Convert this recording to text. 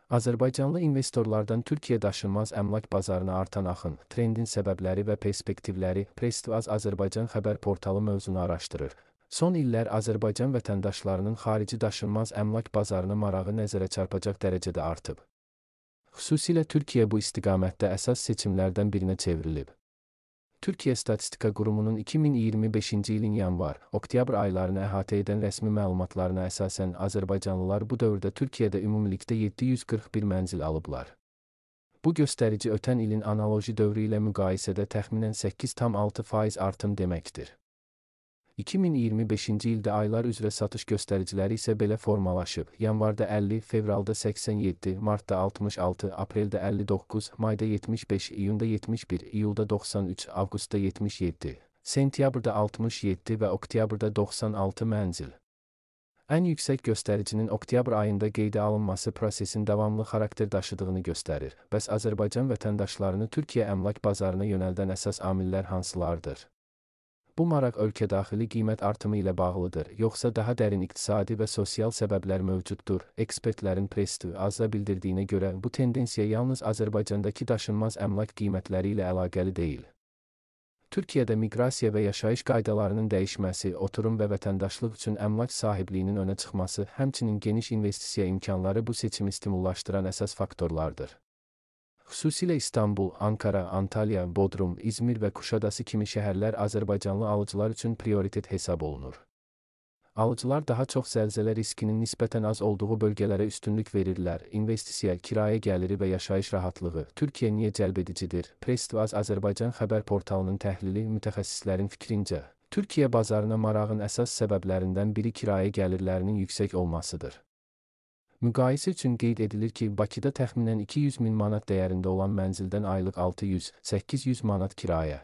Azərbaycanlı investorlardan Türkiyə daşınmaz əmlak bazarına artan axın, trendin səbəbləri və perspektivləri Press2az Azərbaycan xəbər portalı mövzunu araşdırır. Son illər Azərbaycan vətəndaşlarının xarici daşınmaz əmlak bazarına marağı nəzərə çarpacaq dərəcədə artıb. Xüsusilə Türkiyə bu istiqamətdə əsas seçimlərdən birinə çevrilib. Türkiyə Statistika Qurumunun 2025-ci ilin yanvar-oktyabr aylarını əhatə edən rəsmi məlumatlarına əsasən azərbaycanlılar bu dövrdə Türkiyədə ümumilikdə 741 mənzil alıblar. Bu göstərici ötən ilin analoji dövrü ilə müqayisədə təxminən 8,6% artım deməkdir. 2025-ci ildə aylar üzrə satış göstəriciləri isə belə formalaşıb. Yanvarda 50, fevralda 87, martda 66, apreldə 59, mayda 75, iyunda 71, iyulda 93, avqustda 77, sentyabrda 67 və oktyabrda 96 mənzil. Ən yüksək göstəricinin oktyabr ayında qeydə alınması prosesin davamlı xarakter daşıdığını göstərir. Bəs Azərbaycan vətəndaşlarını Türkiyə əmlak bazarına yönəldən əsas amillər hansılardır? Bu maraq ölkədaxili qiymət artımı ilə bağlıdır, yoxsa daha dərin iqtisadi və sosial səbəblər mövcuddur? Ekspertlərin Press2azda bildirdiyinə görə bu tendensiya yalnız Azərbaycandakı daşınmaz əmlak qiymətləri ilə əlaqəli deyil. Türkiyədə miqrasiya və yaşayış qaydalarının dəyişməsi, oturum və vətəndaşlıq üçün əmlak sahibliyinin önə çıxması, həmçinin geniş investisiya imkanları bu seçimi stimullaşdıran əsas faktorlardır. Xüsusilə İstanbul, Ankara, Antalya, Bodrum, İzmir və Kuşadası kimi şəhərlər Azərbaycanlı alıcılar üçün prioritet hesab olunur. Alıcılar daha çox zəlzələ riskinin nisbətən az olduğu bölgələrə üstünlük verirlər. İnvestisiya, kirayə gəliri və yaşayış rahatlığı Türkiyə niyə cəlbedicidir? Press2az Azərbaycan xəbər portalının təhlili mütəxəssislərin fikrincə, Türkiyə bazarına marağın əsas səbəblərindən biri kirayə gəlirlərinin yüksək olmasıdır. Müqayisə üçün qeyd edilir ki, Bakıda təxminən 200 min manat dəyərində olan mənzildən aylıq 600-800 manat kirayə